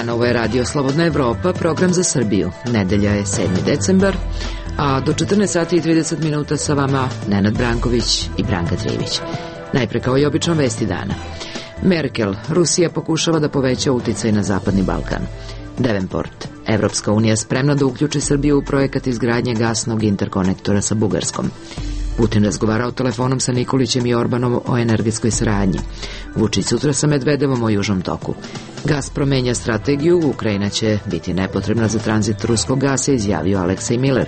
dan, ovo je Radio Slobodna Evropa, program za Srbiju. Nedelja je 7. decembar, a do 14 sati i 30 minuta sa vama Nenad Branković i Branka Trivić. Najpre kao i obično vesti dana. Merkel, Rusija pokušava da poveća uticaj na Zapadni Balkan. Davenport, Evropska unija spremna da uključi Srbiju u projekat izgradnje gasnog interkonektora sa Bugarskom. Putin razgovarao telefonom sa Nikolićem i Orbanom o energetskoj saradnji. Vučić sutra sa Medvedevom o Južnom toku. Gazprom menja strategiju, Ukrajina će biti nepotrebna za tranzit ruskog gasa, izjavio Aleksej Miller.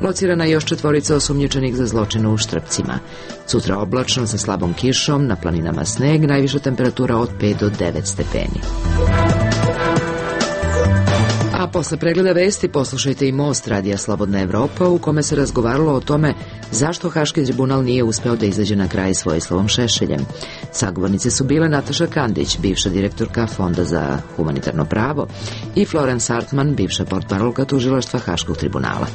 Locirana je još 4 osumnjičenih za zločine u Štrpcima. Sutra oblačno sa slabom kišom, na planinama sneg, najviša temperatura od 5 do 9 stepeni. A posle pregleda vesti poslušajte i Most Radija Slobodna Evropa, u kome se razgovaralo o tome zašto Haški tribunal nije uspeo da izađe na kraj s Vojislavom Šešeljem. Sagovornice su bile Nataša Kandić, bivša direktorka Fonda za humanitarno pravo, i Florence Artman, bivša portparolka tužilaštva Haškog tribunala.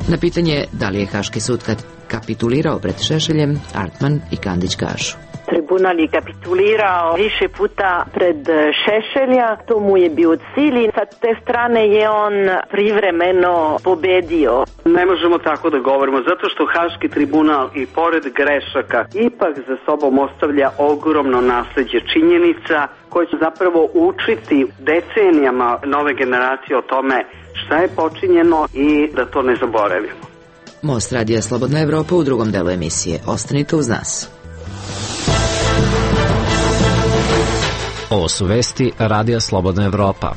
Na pitanje da li je Haški sud kapitulirao pred Šešeljem, Artman i Kandić kažu: Tribunal je kapitulirao više puta pred Šešelja, to mu je bio cilj i sa te strane je on privremeno pobedio. Ne možemo tako da govorimo, zato što Haški tribunal i pored grešaka ipak za sobom ostavlja ogromno nasleđe činjenica koje će zapravo učiti decenijama nove generacije o tome šta je počinjeno i da to ne zaboravimo. Most Radija Slobodna Evropa u drugom delu emisije. Ostanite uz nas. Ovo su vesti Radija Slobodna Evropa.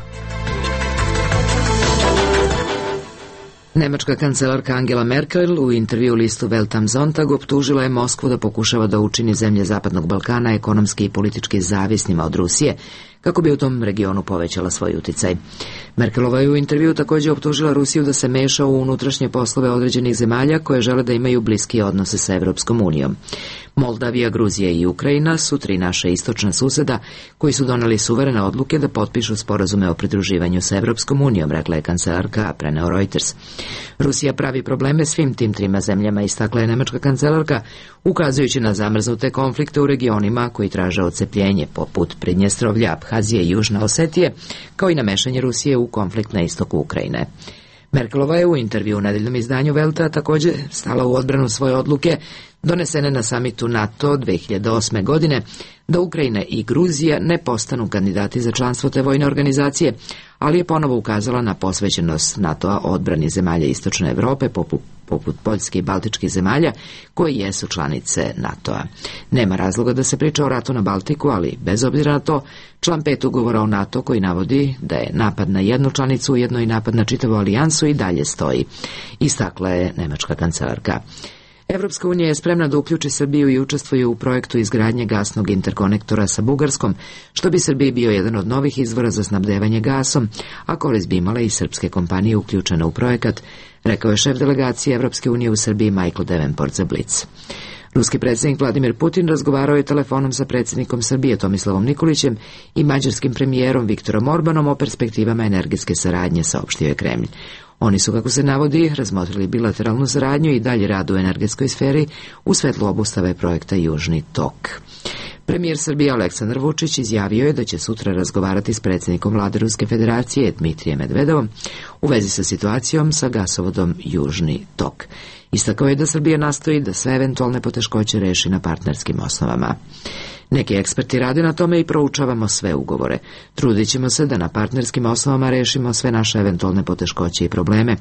Nemačka kancelarka Angela Merkel u intervju listu Welt am Sonntag optužila je Moskvu da pokušava da učini zemlje Zapadnog Balkana ekonomski i politički zavisnima od Rusije, kako bi u tom regionu povećala svoj uticaj. Merkelova je u intervju također optužila Rusiju da se meša u unutrašnje poslove određenih zemalja koje žele da imaju bliski odnose sa Evropskom unijom. Moldavija, Gruzija i Ukrajina su 3 naše istočna suseda koji su doneli suverene odluke da potpišu sporazume o pridruživanju sa Evropskom unijom, rekla je kancelarka, preneo Reuters. Rusija pravi probleme svim tim 3 zemljama, istakla je nemačka kancelarka, ukazujući na zamrznute konflikte u regionima koji traže odcepljenje, poput Pridnjestrovlja, Abhazije i Južne Osetije, kao i na mešanje Rusije u konflikt na istoku Ukrajine. Merkelova je u intervju u nedeljnom izdanju Velta također stala u odbranu svoje odluke donesene na samitu NATO 2008. godine da Ukrajina i Gruzija ne postanu kandidati za članstvo te vojne organizacije, ali je ponovo ukazala na posvećenost NATO-a odbrani zemalja Istočne Evrope poput Poljske i Baltičkih zemalja koji jesu članice NATO-a. Nema razloga da se priča o ratu na Baltiku, ali bez obzira na to, član 5 ugovora o NATO koji navodi da je napad na jednu članicu ujedno i napad na čitavu alijansu i dalje stoji, istakla je nemačka kancelarka. Evropska unija je spremna da uključi Srbiju i učestvuje u projektu izgradnje gasnog interkonektora sa Bugarskom, što bi Srbiji bio jedan od novih izvora za snabdevanje gasom, a korist bi imale i srpske kompanije uključene u projekat, rekao je šef delegacije Evropske unije u Srbiji Michael Davenport za Blic. Ruski predsjednik Vladimir Putin razgovarao je telefonom sa predsjednikom Srbije Tomislavom Nikolićem i mađarskim premijerom Viktorom Orbanom o perspektivama energetske saradnje, saopštio je Kremlj. Oni su, kako se navodi, razmotrili bilateralnu saradnju i dalje rad u energetskoj sferi u svetlu obustave projekta Južni tok. Premijer Srbije Aleksandar Vučić izjavio je da će sutra razgovarati s predsjednikom vlade Ruske federacije Dmitrijem Medvedevom u vezi sa situacijom sa gasovodom Južni tok. Istakao je da Srbija nastoji da sve eventualne poteškoće reši na partnerskim osnovama. Neki eksperti rade na tome i proučavamo sve ugovore. Trudit ćemo se da na partnerskim osnovama rešimo sve naše eventualne poteškoće i probleme,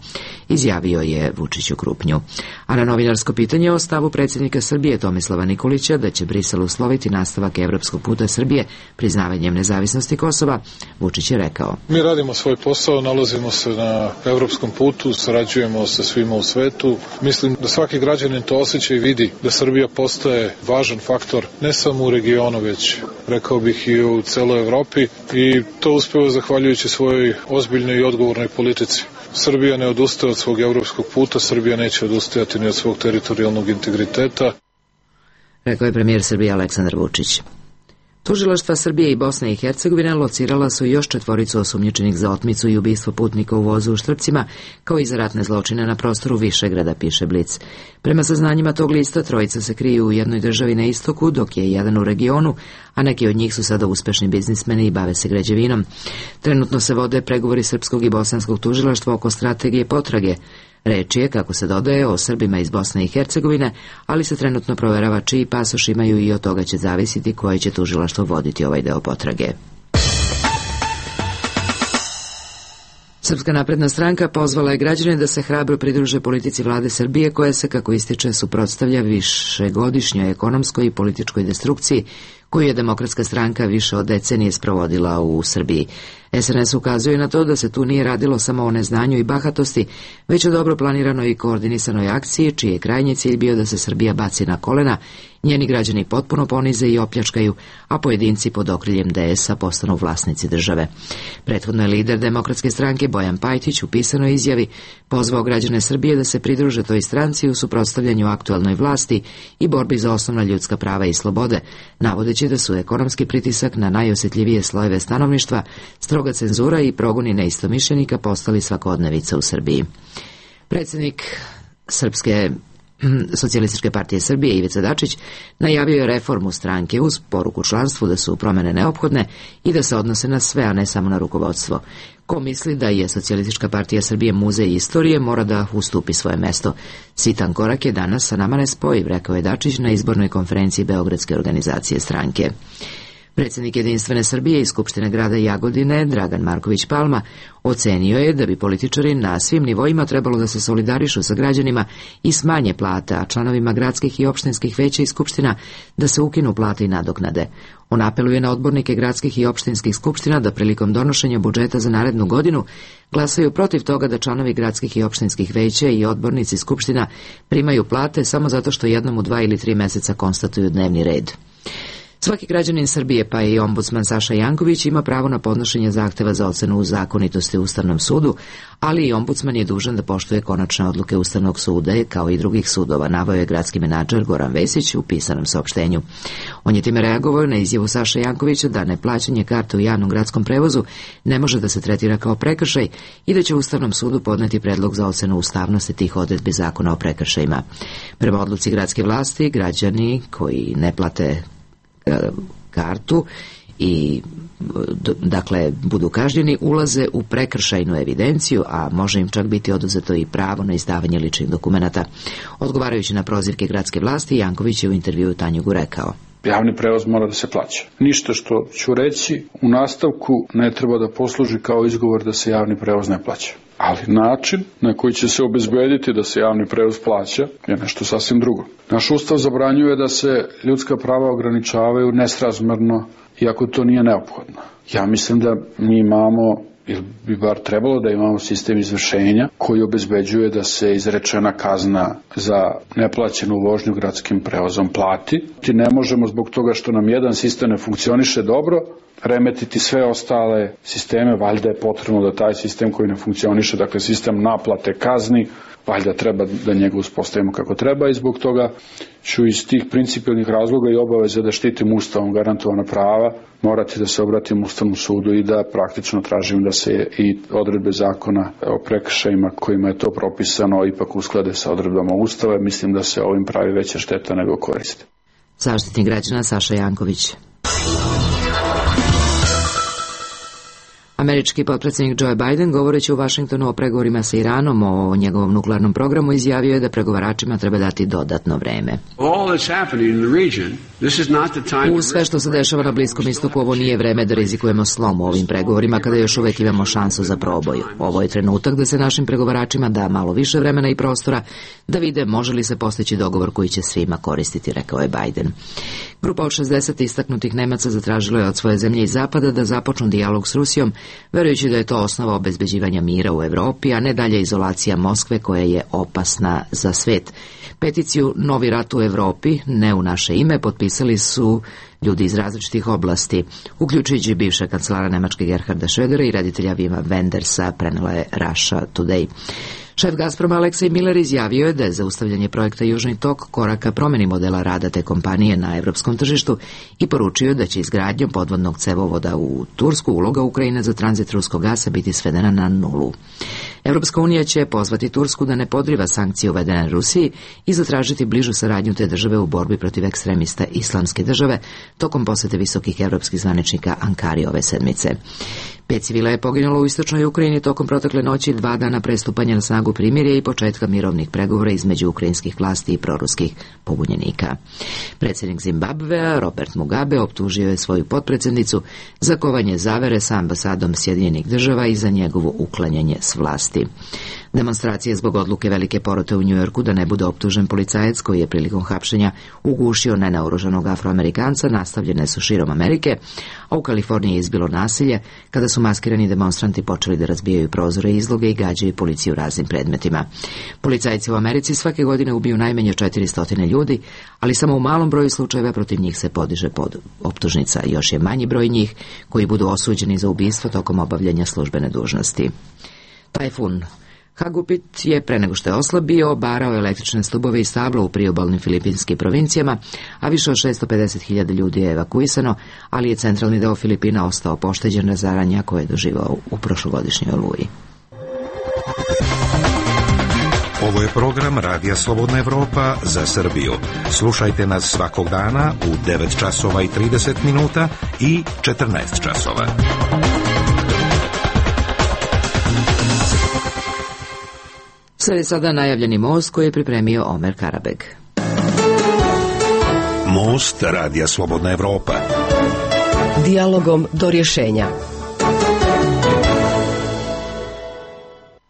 izjavio je Vučić u Krupnju. A na novinarsko pitanje o stavu predsjednika Srbije Tomislava Nikolića da će Brisel usloviti nastavak evropskog puta Srbije priznavanjem nezavisnosti Kosova, Vučić je rekao: Mi radimo svoj posao, nalazimo se na evropskom putu, sarađujemo sa svima u svetu. Mislim da svaki građanin to osjeća i vidi da Srbija postaje važan faktor ne samo u regionu, već rekao bih i u celoj Evropi, i to uspeva zahvaljujući svojoj ozbiljnoj i odgovornoj politici. Srbija ne odustaje od svog evropskog puta, Srbija neće odustajati ni od svog teritorijalnog integriteta, rekao je premijer Srbije Aleksandar Vučić. Tužilaštva Srbije i Bosne i Hercegovine locirala su još 4 osumnjičenih za otmicu i ubistvo putnika u vozu u Štrpcima, kao i za ratne zločine na prostoru Višegrada, piše Blic. Prema saznanjima tog lista, 3 se kriju u jednoj državi na istoku, dok je jedan u regionu, a neki od njih su sada uspešni biznismeni i bave se građevinom. Trenutno se vode pregovori srpskog i bosanskog tužilaštva oko strategije potrage. Reč je, kako se dodaje, o Srbima iz Bosne i Hercegovine, ali se trenutno proverava čiji pasoš imaju i od toga će zavisiti koje će tužilaštvo voditi ovaj deo potrage. Srpska napredna stranka pozvala je građane da se hrabro pridruže politici vlade Srbije, koja se, kako ističe, suprotstavlja višegodišnjoj ekonomskoj i političkoj destrukciji koju je Demokratska stranka više od decenije sprovodila u Srbiji. SNS ukazuje na to da se tu nije radilo samo o neznanju i bahatosti, već o dobro planiranoj i koordinisanoj akciji, čiji je krajnji cilj bio da se Srbija baci na kolena, njeni građani potpuno ponize i opljačkaju, a pojedinci pod okriljem DS-a postanu vlasnici države. Prethodno je lider Demokratske stranke Bojan Pajtić u pisanoj izjavi pozvao građane Srbije da se pridruže toj stranci u suprotstavljanju aktuelnoj vlasti i borbi za osnovna ljudska prava i slobode, navodeći da su ekonomski pritisak na najosjetljivije slojeve stanovništva, stroga cenzura i progoni neistomišljenika postali svakodnevica u Srbiji. Predsjednik Srpske Socijalističke partije Srbije Ivica Dačić najavio je reformu stranke uz poruku članstvu da su promjene neophodne i da se odnose na sve, a ne samo na rukovodstvo. Ko misli da je Socijalistička partija Srbije muzej istorije, mora da ustupi svoje mesto. Sitan korak je danas sa nama nespojiv, rekao je Dačić na izbornoj konferenciji Beogradske organizacije stranke. Predsjednik Jedinstvene Srbije i Skupštine grada Jagodine, Dragan Marković Palma, ocenio je da bi političari na svim nivoima trebalo da se solidarišu sa građanima i smanje plate, a članovima gradskih i opštinskih veća i skupština da se ukinu plate i nadoknade. On apeluje na odbornike gradskih i opštinskih skupština da prilikom donošenja budžeta za narednu godinu glasaju protiv toga da članovi gradskih i opštinskih veća i odbornici skupština primaju plate samo zato što jednom u 2 ili 3 meseca konstatuju dnevni red. Svaki građanin Srbije, pa i ombudsman Saša Janković, ima pravo na podnošenje zahteva za ocenu zakonitosti u Ustavnom sudu, ali i ombudsman je dužan da poštuje konačne odluke Ustavnog suda, kao i drugih sudova, naveo je gradski menadžer Goran Vesić u pisanom saopštenju. On je time reagovao na izjavu Saša Jankovića da neplaćanje karte u javnom gradskom prevozu ne može da se tretira kao prekršaj i da će Ustavnom sudu podneti predlog za ocenu ustavnosti tih odredbi zakona o prekršajima. Prema odluci gradske vlasti, građani koji ne plate kartu i dakle budu kažnjeni, ulaze u prekršajnu evidenciju, a može im čak biti oduzeto i pravo na izdavanje ličnih dokumenata. Odgovarajući na prozivke gradske vlasti, Janković je u intervjuu Tanjugu rekao: javni prevoz mora da se plaća. Ništa što ću reći u nastavku ne treba da posluži kao izgovor da se javni prevoz ne plaća. Ali način na koji će se obezbediti da se javni prevoz plaća je nešto sasvim drugo. Naš ustav zabranjuje da se ljudska prava ograničavaju nesrazmerno, iako to nije neophodno. Ja mislim da mi imamo, ili bi bar trebalo da imamo sistem izvršenja koji obezbeđuje da se izrečena kazna za neplaćenu vožnju gradskim prevozom plati. Ti ne možemo zbog toga što nam jedan sistem ne funkcioniše dobro remetiti sve ostale sisteme, valjda je potrebno da taj sistem koji ne funkcioniše, dakle sistem naplate kazni, valjda treba da njega uspostavimo kako treba i zbog toga ću iz tih principijelnih razloga i obaveze da štitim ustavom garantovana prava morati da se obratim Ustavnom sudu i da praktično tražim da se i odredbe zakona o prekršajima kojima je to propisano ipak usklade sa odredbama Ustava. Mislim da se ovim pravi veća šteta nego koriste. Zaštitnik građana Saša Janković. Američki potpredsjednik Joe Biden, govoreći u Vašingtonu o pregovorima sa Iranom o njegovom nuklearnom programu, izjavio je da pregovaračima treba dati dodatno vreme. U sve što se dešava na Bliskom istoku, ovo nije vreme da rizikujemo slom u ovim pregovorima kada još uvek imamo šansu za proboj. Ovo je trenutak da se našim pregovaračima da malo više vremena i prostora da vide može li se postići dogovor koji će svima koristiti, rekao je Biden. Grupa od 60 istaknutih Nemaca zatražila je od svoje zemlje i Zapada da započnu dijalog s Rusijom, verujući da je to osnova obezbeđivanja mira u Evropi, a ne dalje izolacija Moskve koja je opasna za svet. Peticiju Novi rat u Evropi, ne u naše ime, potpisali su ljudi iz različitih oblasti, uključujući bivša kancelara Nemačke Gerharda Schrödera i reditelja Wima Wendersa, prenela je Russia Today. Šef Gazproma Aleksej Miller izjavio je da je zaustavljanje projekta Južni tok korak ka promjeni modela rada te kompanije na evropskom tržištu i poručio da će izgradnjom podvodnog cevovoda u Tursku uloga Ukrajine za tranzit ruskog gasa biti svedena na nulu. Evropska unija će pozvati Tursku da ne podriva sankcije uvedene Rusiji i zatražiti bližu saradnju te države u borbi protiv ekstremista Islamske države tokom posete visokih evropskih zvaničnika Ankari ove sedmice. 5 civila je poginulo u istočnoj Ukrajini tokom protekle noći 2 dana pre stupanja na snagu primirja i početka mirovnih pregovora između ukrajinskih vlasti i proruskih pobunjenika. Predsjednik Zimbabvea Robert Mugabe optužio je svoju potpredsjednicu za kovanje zavere sa ambasadom Sjedinjenih država i za njegovo uklanjanje s vlasti. Demonstracije zbog odluke velike porote u Njujorku da ne bude optužen policajac koji je prilikom hapšenja ugušio nenaoružanog Afroamerikanca nastavljene su širom Amerike, a u Kaliforniji je izbilo nasilje kada su maskirani demonstranti počeli da razbijaju prozore i izloge i gađaju policiju raznim predmetima. Policajci u Americi svake godine ubiju najmanje 400 ljudi, ali samo u malom broju slučajeva protiv njih se podiže optužnica. Još je manji broj njih koji budu osuđeni za ubistvo tokom obavljanja službene dužnosti. Tajfun Hagupit je pre nego što je oslabio obarao električne stubove i stabla u priobalnim filipinskim provincijama, a više od 650.000 ljudi je evakuisano, ali je centralni deo Filipina ostao pošteđen razaranja koje je doživao u prošlogodišnjoj oluji. Ovo je program Radija Slobodna Evropa za Srbiju. Slušajte nas svakog dana u 9 časova i 30 minuta i 14 časova. Sve je sada najavljeni most koji je pripremio Omer Karabeg. Most Radija Slobodna Evropa. Dijalogom do rješenja.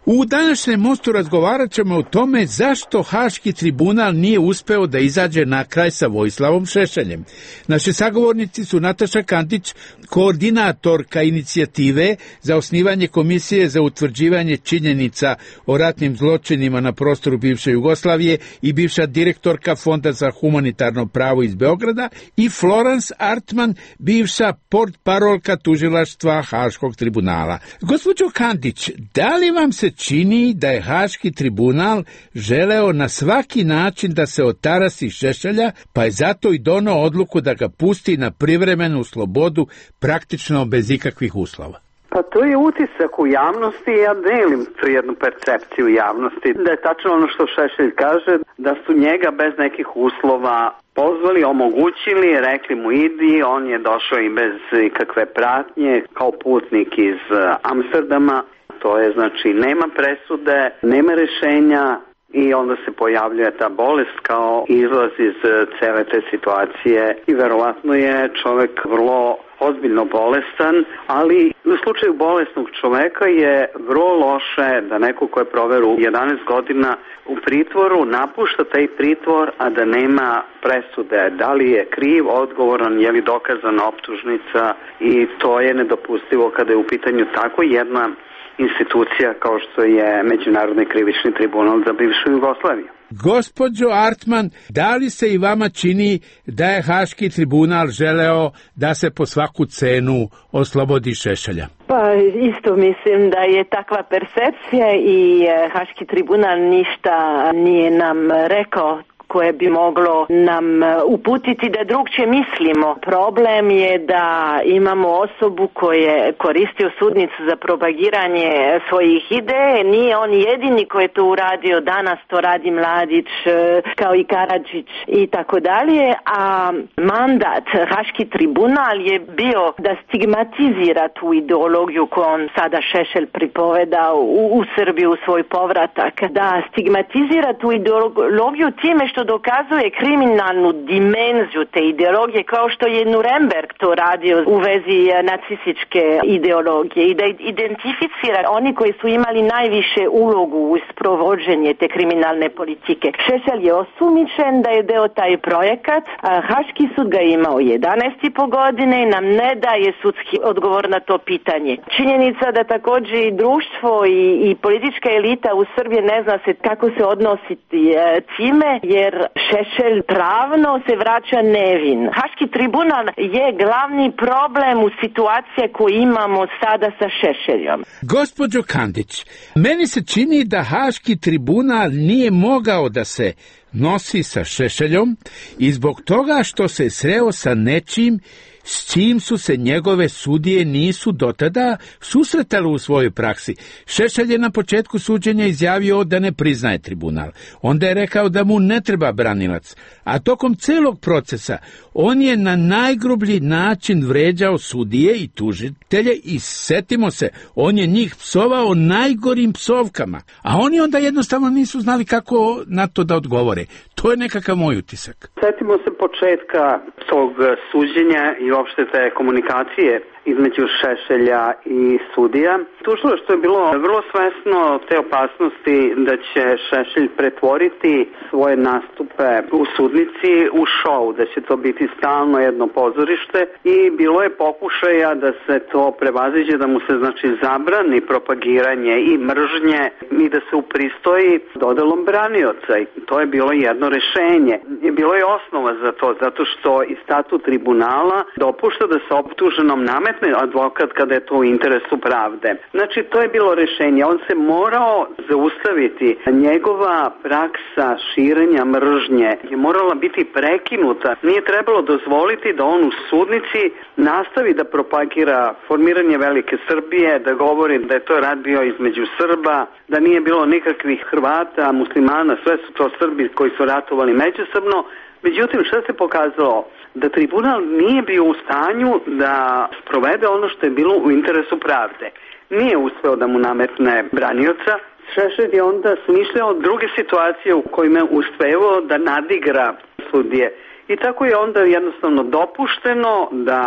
U današnjem mostu razgovarat ćemo o tome zašto Haški tribunal nije uspeo da izađe na kraj sa Vojislavom Šešeljem. Naši sagovornici su Nataša Kandić, koordinatorka inicijative za osnivanje Komisije za utvrđivanje činjenica o ratnim zločinima na prostoru bivše Jugoslavije i bivša direktorka Fonda za humanitarno pravo iz Beograda, i Florence Artman, bivša portparolka tužilaštva Haškog tribunala. Gospođo Kandić, da li vam se čini da je Haški tribunal želeo na svaki način da se otarasi Šešelja, pa je zato i doneo odluku da ga pusti na privremenu slobodu praktično bez ikakvih uslova? Pa to je utisak u javnosti i ja delim tu jednu percepciju javnosti. Da je tačno ono što Šešelj kaže, da su njega bez nekih uslova pozvali, omogućili, rekli mu idi, on je došao i bez ikakve pratnje kao putnik iz Amsterdama. To je znači nema presude, nema rešenja i onda se pojavljuje ta bolest kao izlaz iz cele te situacije i verovatno je čovek vrlo ozbiljno bolestan, ali u slučaju bolesnog čoveka je vrlo loše da neko ko je proveo 11 godina u pritvoru napušta taj pritvor, a da nema presude. Da li je kriv, odgovoran, je li dokazana optužnica, i to je nedopustivo kada je u pitanju tako jedna institucija kao što je Međunarodni krivični tribunal za bivšu Jugoslaviju. Gospođo Artman, da li se i vama čini da je Haški tribunal želeo da se po svaku cenu oslobodi Šešelja? Pa isto mislim da je takva percepcija i Haški tribunal ništa nije nam rekao koje bi moglo nam uputiti da drugčije mislimo. Problem je da imamo osobu koja koristio sudnicu za propagiranje svojih ideje. Nije on jedini koji je to uradio, danas to radi Mladić, kao i Karadžić i tako dalje, a mandat Haški tribunal je bio da stigmatizira tu ideologiju koju on sada Šešelj pripoveda u Srbiju, u svoj povratak, da stigmatizira tu ideologiju time što dokazuje kriminalnu dimenziju te ideologije, kao što je Nuremberg to radio u vezi nacističke ideologije, i da identificira oni koji su imali najviše ulogu u sprovođenje te kriminalne politike. Šešelj je osumnjičen da je deo taj projekat, a Haški sud ga imao 11,5 godine i nam ne daje sudski odgovor na to pitanje. Činjenica da također i društvo i politička elita u Srbiji ne zna se kako se odnositi time, jer jer Šešelj pravno se vraća nevin. Haški tribunal je glavni problem u situacije koju imamo sada sa Šešeljom. Gospođo Kandić, meni se čini da Haški tribunal nije mogao da se nosi sa Šešeljom i zbog toga što se sreo sa nečim s čim su se njegove sudije nisu dotada susretali u svojoj praksi. Šešelj je na početku suđenja izjavio da ne priznaje tribunal. Onda je rekao da mu ne treba branilac. A tokom celog procesa on je na najgrublji način vređao sudije i tužitelje i setimo se, on je njih psovao najgorim psovkama. A oni onda jednostavno nisu znali kako na to da odgovore. To je nekakav moj utisak. Setimo se početka tog suđenja i uopšte te komunikacije između Šešelja i sudija. Tužilaštvo je bilo vrlo svesno te opasnosti da će Šešelj pretvoriti svoje nastupe u sudnici u šou, da će to biti stalno jedno pozorište i bilo je pokušaja da se to prevaziđe, da mu se zabrani propagiranje i mržnje i da se upristoji dodelom branioca. I to je bilo jedno rešenje. Bilo je osnova za to, zato što i statut tribunala dopušta da se optuženom nametne advokat kada je to u interesu pravde. Znači, to je bilo rešenje. On se morao zaustaviti. Njegova praksa širenja mržnje je morala biti prekinuta. Nije trebalo dozvoliti da on u sudnici nastavi da propagira formiranje velike Srbije, da govori da je to rat bio između Srba, da nije bilo nikakvih Hrvata, muslimana, sve su to Srbi koji su ratovali međusobno. Međutim, što se pokazalo? Da tribunal nije bio u stanju da sprovede ono što je bilo u interesu pravde. Nije uspeo da mu nametne branioca. Šešelj je onda smišljao druge situacije u kojima je uspeo da nadigra sudije. I tako je onda jednostavno dopušteno da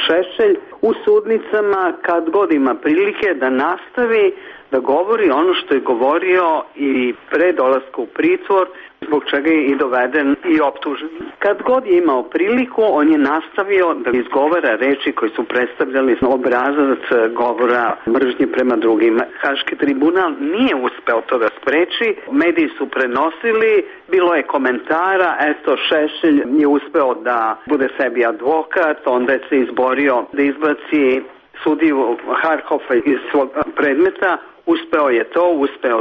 Šešelj u sudnicama, kad god ima prilike, da nastavi da govori ono što je govorio i pre dolaska u pritvor, zbog čega je i doveden i optužen. Kad god je imao priliku, on je nastavio da izgovara reči koje su predstavljali obrazac govora mržnje prema drugima. Haški tribunal nije uspeo to da spreči, mediji su prenosili, bilo je komentara, eto Šešelj je uspeo da bude sebi advokat, onda je se izborio da izbaci sudiju Harhofa iz svog predmeta, uspeo je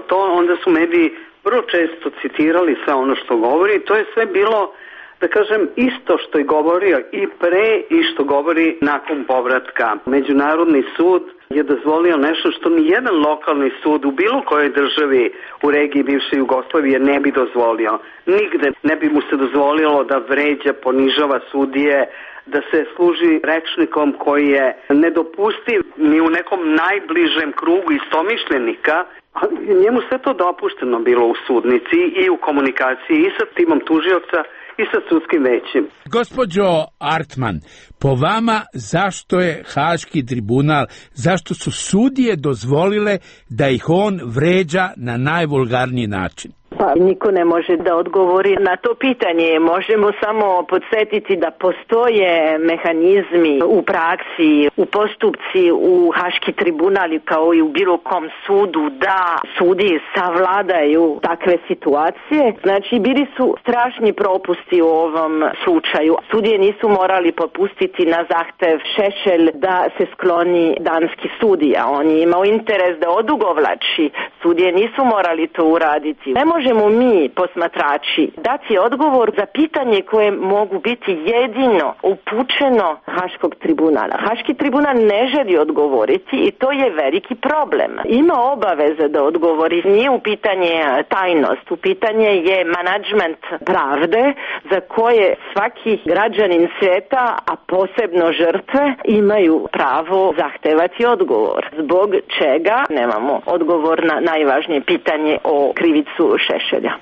to, onda su mediji vrlo često citirali sve ono što govori. To je sve bilo, da kažem, isto što je govorio i pre i što govori nakon povratka. Međunarodni sud je dozvolio nešto što ni jedan lokalni sud u bilo kojoj državi u regiji bivše Jugoslavije ne bi dozvolio. Nigde ne bi mu se dozvolilo da vređa, ponižava sudije, da se služi rečnikom koji je nedopustiv ni u nekom najbližem krugu istomišljenika, ali njemu sve to dopušteno bilo u sudnici i u komunikaciji i sa timom tužioca i sa sudskim većem. Gospođo Artman, po vama zašto je Haški tribunal, zašto su sudije dozvolile da ih on vređa na najvulgarniji način? Pa niko ne može da odgovori na to pitanje. Možemo samo podsjetiti da postoje mehanizmi u praksi, u postupci, u Haški tribunali kao i u bilo kom sudu da sudi savladaju takve situacije. Znači, bili su strašni propusti u ovom slučaju. Sudije nisu morali popustiti na zahtev Šešelj da se skloni danski sudija. On je imao interes da odugovlači. Sudije nisu morali to uraditi. Ne možemo mi, posmatrači, dati odgovor za pitanje koje mogu biti jedino upućeno Haškog tribunala. Haški tribunal ne želi odgovoriti i to je veliki problem. Ima obaveze da odgovori. Nije u pitanje tajnost, u pitanje je menadžment pravde za koje svaki građanin svijeta, a posebno žrtve, imaju pravo zahtevati odgovor. Zbog čega nemamo odgovor na najvažnije pitanje o krivicu Šešelja.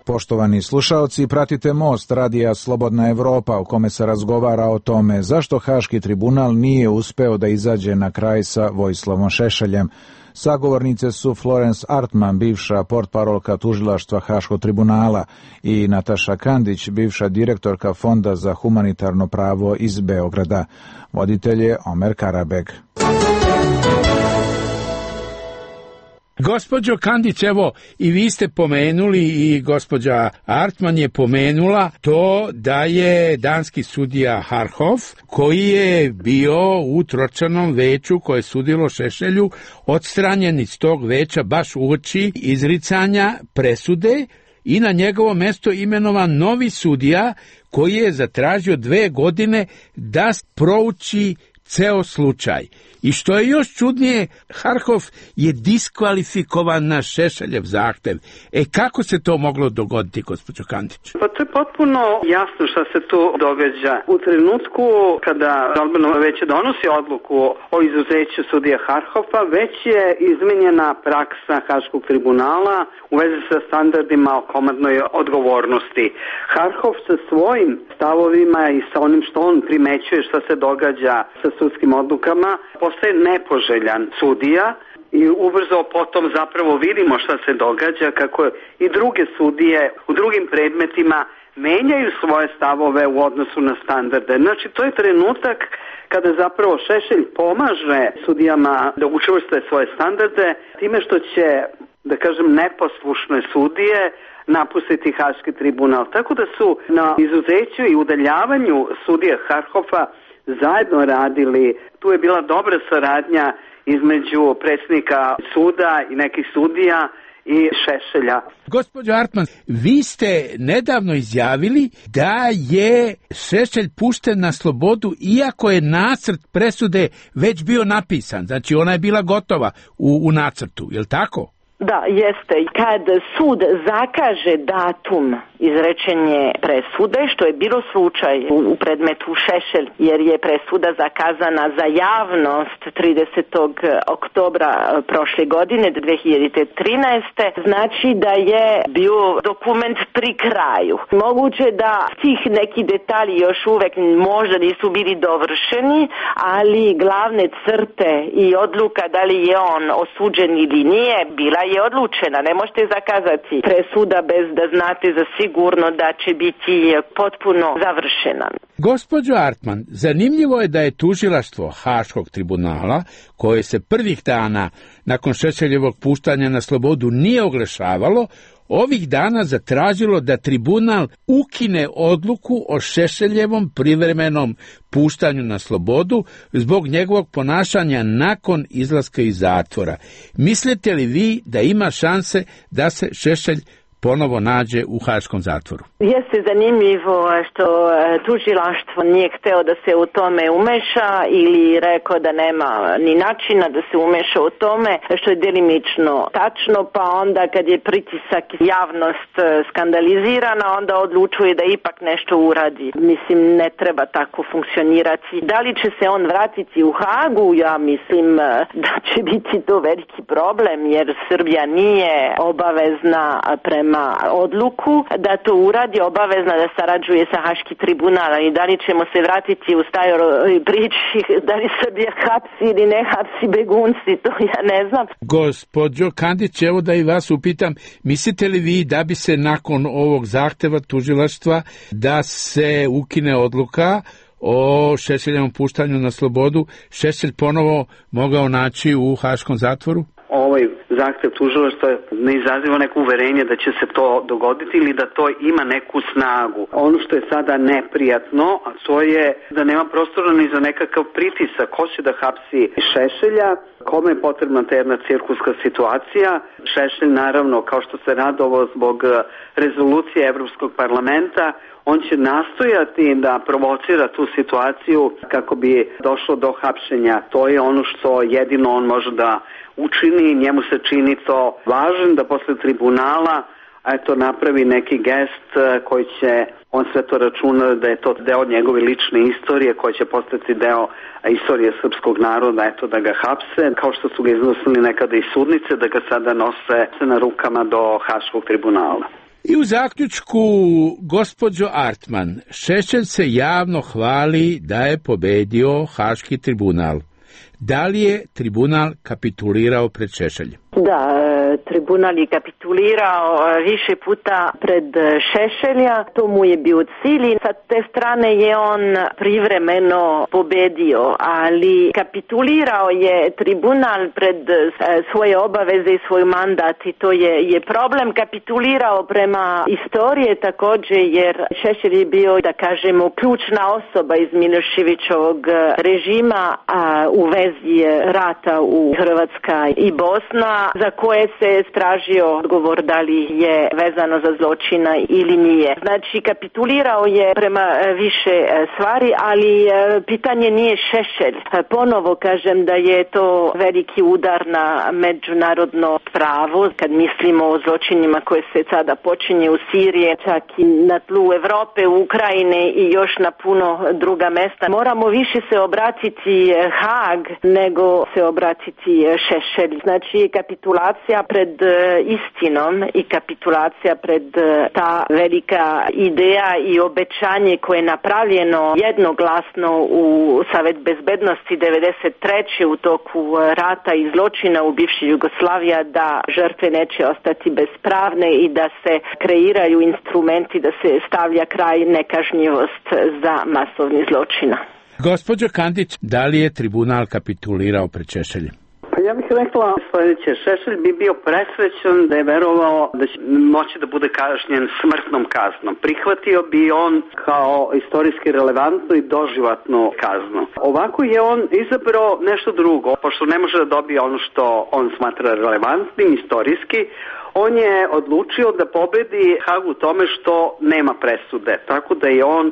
Poštovani slušaoci, pratite Most radija Slobodna Evropa u kome se razgovara o tome zašto Haški tribunal nije uspeo da izađe na kraj sa Vojislavom Šešeljem. Sagovornice su Florence Artman, bivša portparolka tužilaštva Haškog tribunala, i Nataša Kandić, bivša direktorka Fonda za humanitarno pravo iz Beograda. Voditelj je Omer Karabeg. Gospođo Kandić, evo i vi ste pomenuli i gospođa Artman je pomenula to da je danski sudija Harhof, koji je bio u tročlanom veću koje je sudilo Šešelju, odstranjen iz tog veća baš uoči izricanja presude i na njegovo mesto imenovan novi sudija koji je zatražio 2 godine da prouči ceo slučaj. I što je još čudnije, Harhof je diskvalifikovan na Šešeljev zahtev. Kako se to moglo dogoditi, gospođo Kandić? Pa to je potpuno jasno šta se tu događa. U trenutku kada žalbeno veće donosi odluku o izuzeću sudija Harhofa, već je izmenjena praksa Haškog tribunala u vezi sa standardima o komandnoj odgovornosti. Harhof sa svojim stavovima i sa onim što on primećuje šta se događa sa sudskim odlukama postaje nepoželjan sudija i ubrzo potom zapravo vidimo šta se događa, kako i druge sudije u drugim predmetima menjaju svoje stavove u odnosu na standarde. Znači, to je trenutak kada zapravo Šešelj pomaže sudijama da učvrste svoje standarde time što će, da kažem, neposlušne sudije napustiti Haški tribunal. Tako da su na izuzeću i udaljavanju sudija Harhofa zajedno radili. Tu je bila dobra saradnja između predsjednika suda i nekih sudija i Šešelja. Gospođo Artman, vi ste nedavno izjavili da je Šešelj pušten na slobodu iako je nacrt presude već bio napisan. Znači ona je bila gotova u nacrtu, je li tako? Da, jeste. Kad sud zakaže datum izrečenje presude, što je bilo slučaj u predmetu Šešelj, jer je presuda zakazana za javnost 30. oktobra prošle godine, 2013. Znači da je bio dokument pri kraju. Moguće da tih neki detalji još uvek možda nisu bili dovršeni, ali glavne crte i odluka da li je on osuđen ili nije, bila je odlučena. Ne možete zakazati presuda bez da znate za sigurno da će biti potpuno završena. Gospođo Artman, zanimljivo je da je tužilaštvo Haškog tribunala, koje se prvih dana nakon Šešeljevog puštanja na slobodu nije oglašavalo, ovih dana zatražilo da tribunal ukine odluku o Šešeljevom privremenom puštanju na slobodu zbog njegovog ponašanja nakon izlaska iz zatvora. Mislite li vi da ima šanse da se Šešelj ponovo nađe u haškom zatvoru? Jeste zanimljivo što tužilaštvo nije hteo da se u tome umeša ili rekao da nema ni načina da se umeša u tome, što je delimično tačno, pa onda kad je pritisak javnost skandalizirana, onda odlučuje da ipak nešto uradi. Mislim, ne treba tako funkcionirati. Da li će se on vratiti u Hagu? Ja mislim da će biti to veliki problem, jer Srbija nije obavezna prema odluku da to uradi, obavezna da sarađuje sa Haški tribunal, i da li ćemo se vratiti u staroj priči, da li Srbija hapsi ili ne hapsi begunci, to ja ne znam. Gospođo Kandić, evo da i vas upitam, mislite li vi da bi se nakon ovog zahteva tužilaštva da se ukine odluka o Šešeljevom puštanju na slobodu, Šešelj ponovo mogao naći u haškom zatvoru? Ovaj zahtev tužilaštva ne izaziva neko uverenje da će se to dogoditi ili da to ima neku snagu. Ono što je sada neprijatno, a to je da nema prostora ni za nekakav pritisak. Ko će da hapsi Šešelja, kome je potrebna ta jedna cirkuska situacija. Šešelj, naravno, kao što se radovao zbog rezolucije Evropskog parlamenta, on će nastojati da provocira tu situaciju kako bi došlo do hapšenja. To je ono što jedino on može da učini, njemu se čini to važno da posle tribunala napravi neki gest koji će, on sve to računa da je to deo njegove lične istorije koja će postati deo istorije srpskog naroda, da ga hapse, kao što su ga iznosili nekada i sudnice, da ga sada nose na rukama do Haškog tribunala. I u zaključku, gospođo Artman, Šešelj se javno hvali da je pobedio Haški tribunal. Da li je tribunal kapitulirao pred Šešeljem? Da, tribunal je kapitulirao više puta pred Šešelja, to mu je bio cilj i sa te strane je on privremeno pobedio, ali kapitulirao je tribunal pred svoje obaveze i svoj mandat i to je problem. Kapitulirao prema istorije također jer Šešelj je bio, da kažemo, ključna osoba iz Miloševićovog režima u vezi rata u Hrvatska i Bosna, za koje se tražio odgovor da li je vezano za zločina ili nije. Znači, kapitulirao je prema više stvari, ali pitanje nije Šešelj. Ponovo kažem da je to veliki udar na međunarodno pravo, kad mislimo o zločinima koje se sada počinje u Siriji, čak i na tlu Evrope, u Ukrajine i još na puno druga mesta. Moramo više se obratiti Haag nego se obratiti Šešelj. Znači, kapitulacija pred istinom i kapitulacija pred ta velika ideja i obećanje koje je napravljeno jednoglasno u Savet bezbednosti 93. u toku rata i zločina u bivšoj Jugoslaviji, da žrtve neće ostati bespravne i da se kreiraju instrumenti da se stavlja kraj nekažnjivost za masovni zločina. Gospođo Kandić, da li je tribunal kapitulirao pred Šešeljem? Pa ja bih rekla sljedeće. Šešelj bi bio presrećan da je verovao da će moći da bude kažnjen smrtnom kaznom. Prihvatio bi on kao istorijski relevantnu i doživotnu kaznu. Ovako je on izabrao nešto drugo, pošto ne može da dobije ono što on smatra relevantnim istorijski. On je odlučio da pobedi Hag u tome što nema presude. Tako da je on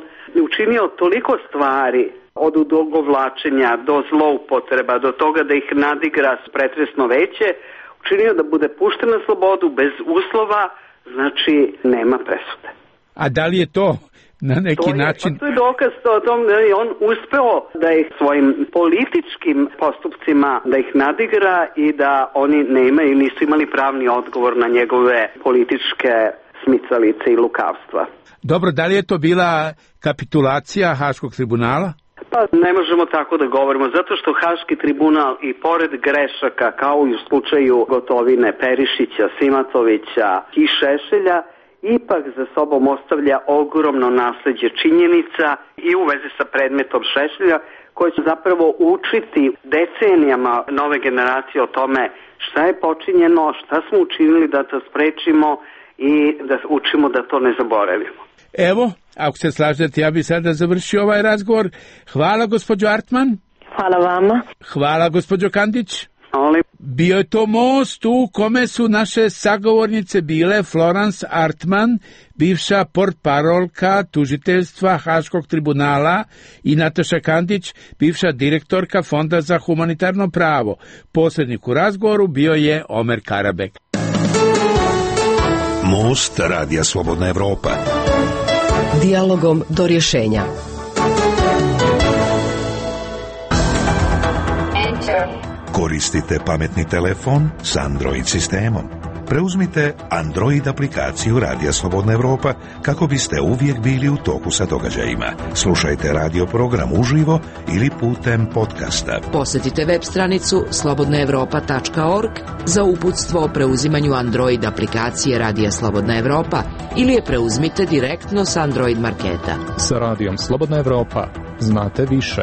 učinio toliko stvari, od odugovlačenja do zloupotreba, do toga da ih nadigra pretresno veće, učinio da bude pušten na slobodu bez uslova, znači nema presude. A da li je to na neki način... Pa to je dokaz o tom da je on uspeo da ih svojim političkim postupcima da ih nadigra i da oni nisu imali pravni odgovor na njegove političke smicalice i lukavstva. Dobro, da li je to bila kapitulacija Haškog tribunala? Pa ne možemo tako da govorimo, zato što Haški tribunal i pored grešaka, kao i u slučaju Gotovine, Perišića, Simatovića i Šešelja, ipak za sobom ostavlja ogromno nasleđe činjenica i u vezi sa predmetom Šešelja, koji će zapravo učiti decenijama nove generacije o tome šta je počinjeno, šta smo učinili da to sprečimo i da učimo da to ne zaboravimo. Evo, ako se slažete, ja bi sada završio ovaj razgovor. Hvala, gospođo Artman. Hvala vama. Hvala, gospođo Kandić. Hvala. Bio je to most u kome su naše sagovornice bile Florence Artman, bivša portparolka tužiteljstva Haškog tribunala, i Nataša Kandić, bivša direktorka Fonda za humanitarno pravo. Posrednik u razgovoru bio je Omer Karabek. Most Radija Slobodna Evropa. Dijalogom do rješenja. Koristite pametni telefon s Android sistemom. Preuzmite Android aplikaciju Radija Slobodna Evropa kako biste uvijek bili u toku sa događajima. Slušajte radio program uživo ili putem podcasta. Posjetite web stranicu slobodnaevropa.org za uputstvo o preuzimanju Android aplikacije Radija Slobodna Evropa ili je preuzmite direktno s Android marketa. Sa Radijom Slobodna Evropa znate više.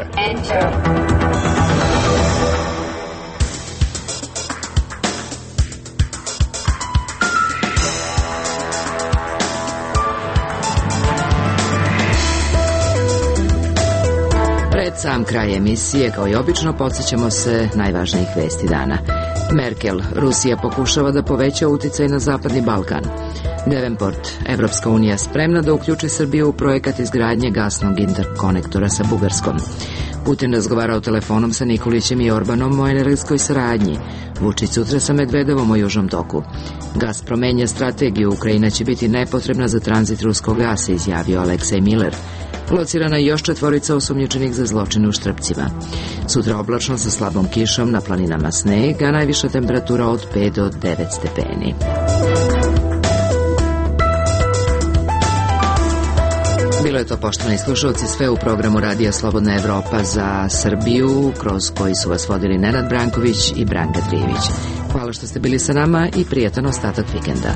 Pred sam kraj emisije, kao i obično, podsjećamo se najvažnijih vesti dana. Merkel, Rusija pokušava da poveća uticaj na Zapadni Balkan. Davenport, Evropska unija spremna da uključi Srbiju u projekat izgradnje gasnog interkonektora sa Bugarskom. Putin razgovarao telefonom sa Nikolićem i Orbanom o energetskoj saradnji. Vučić sutra sa Medvedevom o Južnom toku. Gazprom menja strategiju, Ukrajina će biti nepotrebna za tranzit ruskog gasa, izjavio Aleksej Miller. Locirana je još 4 osumnjičenih za zločine u Štrpcima. Sutra oblačno sa slabom kišom, na planinama sneg, a najviša temperatura od 5 do 9 stepeni. Bilo je to, poštovani slušalci, sve u programu Radija Slobodna Evropa za Srbiju, kroz koji su vas vodili Nenad Branković i Branka Trijević. Hvala što ste bili sa nama i prijatan ostatak vikenda.